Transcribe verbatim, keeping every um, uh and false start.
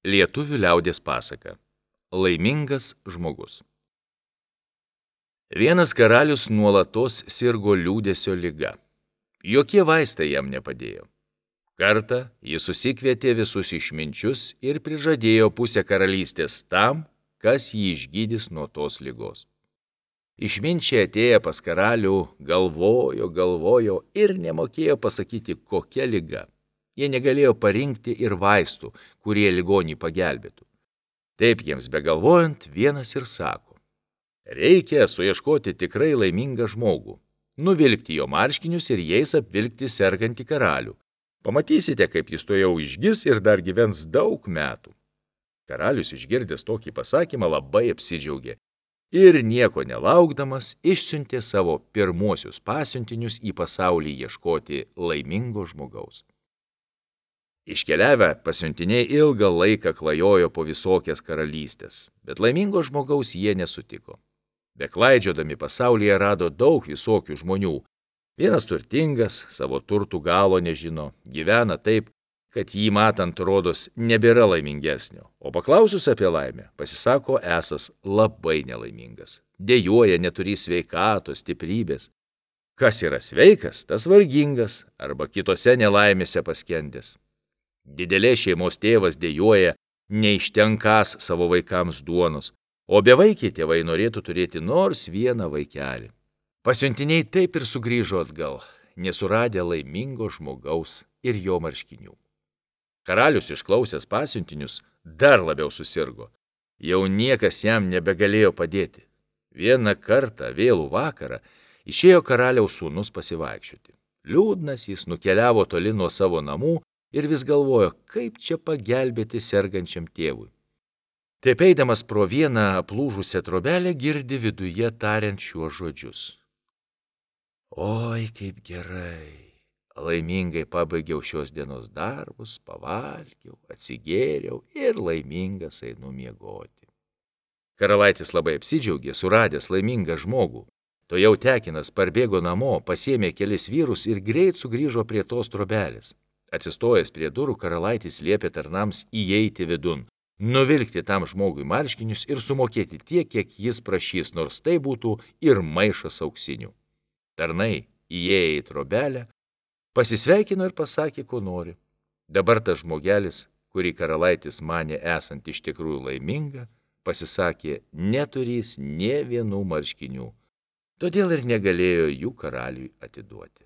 Lietuvių liaudies pasaka. Laimingas žmogus. Vienas karalius nuolatos sirgo liūdesio liga. Jokie vaistai jam nepadėjo. Kartą jis susikvietė visus išminčius ir prižadėjo pusę karalystės tam, kas jį išgydys nuo tos ligos. Išminčiai atėję pas karalių galvojo, galvojo ir nemokėjo pasakyti, kokia liga. Jie negalėjo parinkti ir vaistų, kurie ligonį pagelbėtų. Taip jiems begalvojant, vienas ir sako: reikia suieškoti tikrai laimingą žmogų, nuvilkti jo marškinius ir jais apvilkti sergantį karalių. Pamatysite, kaip jis tuojau išgis ir dar gyvens daug metų. Karalius išgirdęs tokį pasakymą labai apsidžiaugė ir nieko nelaukdamas išsiuntė savo pirmuosius pasiuntinius į pasaulį ieškoti laimingo žmogaus. Iškeliavę pasiuntiniai ilgą laiką klajojo po visokias karalystės, bet laimingo žmogaus jie nesutiko. Beklaidžiodami pasaulyje rado daug visokių žmonių. Vienas turtingas, savo turtų galo nežino, gyvena taip, kad jį matant rodos nebėra laimingesnio, o paklausus apie laimę, pasisako esas labai nelaimingas, dejuoja neturį sveikatos, stiprybės. Kas yra sveikas, tas vargingas arba kitose nelaimėse paskendęs. Didelės šeimos tėvas dejuoja neištenkąs savo vaikams duonos, o bevaikiai tėvai norėtų turėti nors vieną vaikelį. Pasiuntiniai taip ir sugrįžo atgal, nesuradę laimingo žmogaus ir jo marškinių. Karalius išklausęs pasiuntinius dar labiau susirgo. Jau niekas jam nebegalėjo padėti. Vieną kartą vėlų vakarą išėjo karaliaus sūnus pasivaikščioti. Liūdnas jis nukeliavo toli nuo savo namų ir vis galvojo, kaip čia pagelbėti sergančiam tėvui. Taip eidamas pro vieną aplūžusią trobelę girdi viduje tariant šiuos žodžius: oi, kaip gerai, laimingai pabaigiau šios dienos darbus, pavalgiau, atsigėriau ir laimingas einu miegoti. Karalaitis labai apsidžiaugė, suradęs laimingą žmogų. Tuojau tekinas parbėgo namo, pasiėmė kelis vyrus ir greit sugrįžo prie tos trobelės. Atsistojęs prie durų, karalaitis liepė tarnams įeiti vidun, nuvilkti tam žmogui marškinius ir sumokėti tiek, kiek jis prašys, nors tai būtų ir maišas auksinių. Tarnai, įėję į trobelę, pasisveikino ir pasakė, ko nori. Dabar tas žmogelis, kurį karalaitis manė esant iš tikrųjų laiminga, pasisakė neturys nė vienų marškinių, todėl ir negalėjo jų karaliui atiduoti.